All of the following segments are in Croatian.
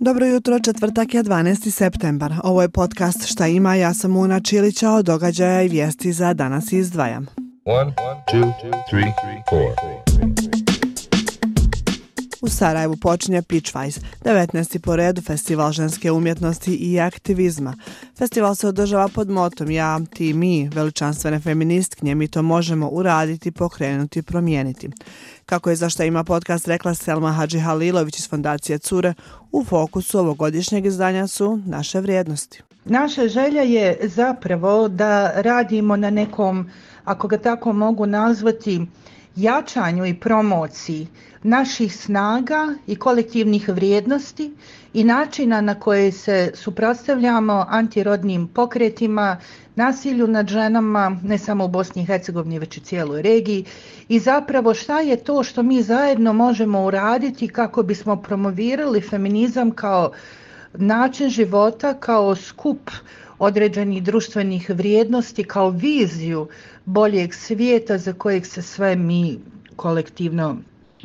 Dobro jutro, četvrtak je 12. septembar. Ovo je podcast Šta ima, ja sam Una Čilića, od događaja i vijesti za danas izdvajam. 1, 2, 3, 4. U Sarajevu počinje Pitchwise, 19. po redu festival ženske umjetnosti i aktivizma. Festival se održava pod motom Ja, ti, mi, veličanstvene feministkinje, mi to možemo uraditi, pokrenuti, promijeniti. Kako je za Šta ima podcast rekla Selma Hadžihalilović iz Fondacije Cure, u fokusu ovogodišnjeg izdanja su naše vrijednosti. Naša želja je zapravo da radimo na nekom, ako ga tako mogu nazvati, jačanju i promociji naših snaga i kolektivnih vrijednosti i načina na koje se suprotstavljamo antirodnim pokretima, nasilju nad ženama, ne samo u Bosni i Hercegovini, već i cijeloj regiji, i zapravo šta je to što mi zajedno možemo uraditi kako bismo promovirali feminizam kao način života, kao skup određenih društvenih vrijednosti, kao viziju boljeg svijeta za kojeg se sve mi kolektivno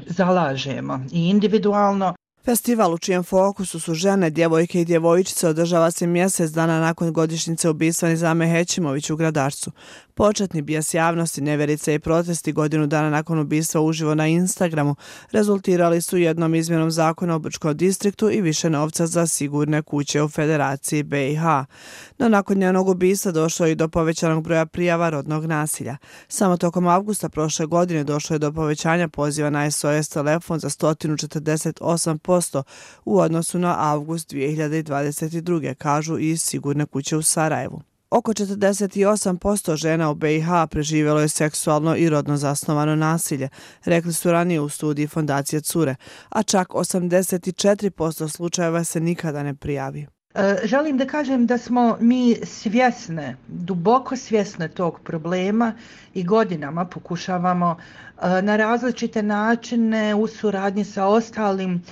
zalažemo i individualno. Festival u čijem fokusu su žene, djevojke i djevojčice održava se mjesec dana nakon godišnjice ubistva Nizame Hećimović u Gradarcu. Početni bijes javnosti, nevjerice i protesti godinu dana nakon ubistva uživo na Instagramu rezultirali su jednom izmjenom zakona o Brčkom distriktu i više novca za sigurne kuće u Federaciji BiH. No nakon njenog ubistva došlo je i do povećanog broja prijava rodnog nasilja. Samo tokom avgusta prošle godine došlo je do povećanja poziva na SOS telefon za 148% u odnosu na avgust 2022. kažu iz Sigurne kuće u Sarajevu. Oko 48% žena u BiH preživjelo je seksualno i rodno zasnovano nasilje, rekli su ranije u studiji Fondacije Cure, a čak 84% slučajeva se nikada ne prijavi. Želim da kažem da smo mi svjesne, duboko svjesne tog problema i godinama pokušavamo na različite načine u suradnji sa ostalim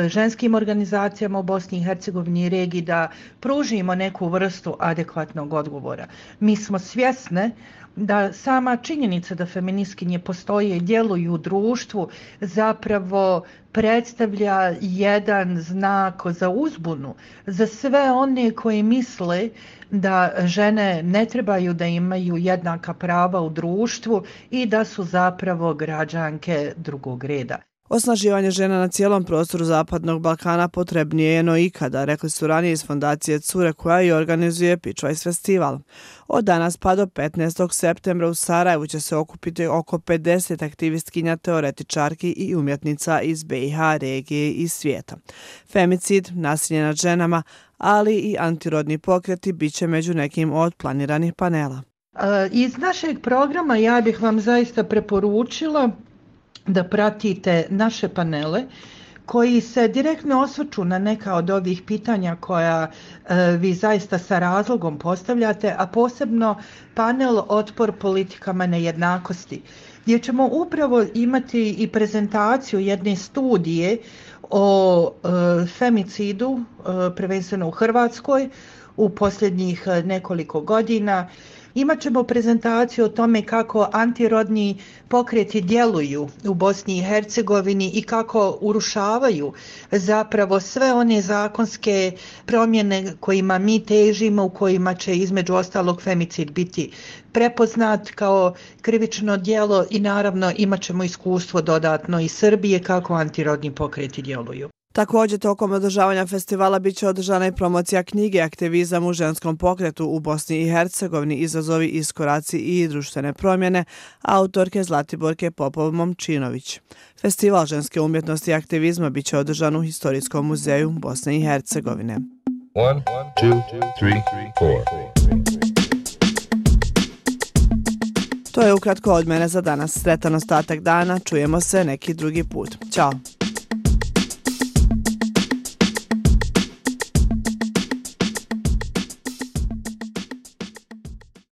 ženskim organizacijama u Bosni i Hercegovini i regiji da pružimo neku vrstu adekvatnog odgovora. Mi smo svjesne da sama činjenica da feministkinje postoje i djeluju u društvu zapravo predstavlja jedan znak za uzbunu za sve one koji misle da žene ne trebaju da imaju jednaka prava u društvu i da su zapravo građanke drugog reda. Osnaživanje žena na cijelom prostoru Zapadnog Balkana potrebnije je no ikada, rekli su ranije iz Fondacije Cure koja i organizuje Pitchwise festival. Od danas pa do 15. septembra u Sarajevu će se okupiti oko 50 aktivistkinja, teoretičarki i umjetnica iz BiH, regije i svijeta. Femicid, nasilje nad ženama, ali i antirodni pokreti bit će među nekim od planiranih panela. Iz našeg programa ja bih vam zaista preporučila da pratite naše panele koji se direktno osvrću na neka od ovih pitanja koja vi zaista sa razlogom postavljate, a posebno panel Otpor politikama nejednakosti, gdje ćemo upravo imati i prezentaciju jedne studije o femicidu, prvenstveno u Hrvatskoj, u posljednjih nekoliko godina. Imat ćemo prezentaciju o tome kako antirodni pokreti djeluju u Bosni i Hercegovini i kako urušavaju zapravo sve one zakonske promjene kojima mi težimo, u kojima će između ostalog femicid biti prepoznat kao krivično djelo i naravno imat ćemo iskustvo dodatno iz Srbije kako antirodni pokreti djeluju. Također, tokom održavanja festivala bit će održana i promocija knjige Aktivizam u ženskom pokretu u Bosni i Hercegovini, izazovi, iskoraci i društvene promjene, autorke Zlatiborke Popov-Momčinović. Festival ženske umjetnosti i aktivizma bit će održan u Historijskom muzeju Bosne i Hercegovine. 1, 2, 3, 4. To je ukratko od mene za danas. Sretan ostatak dana, čujemo se neki drugi put. Ćao!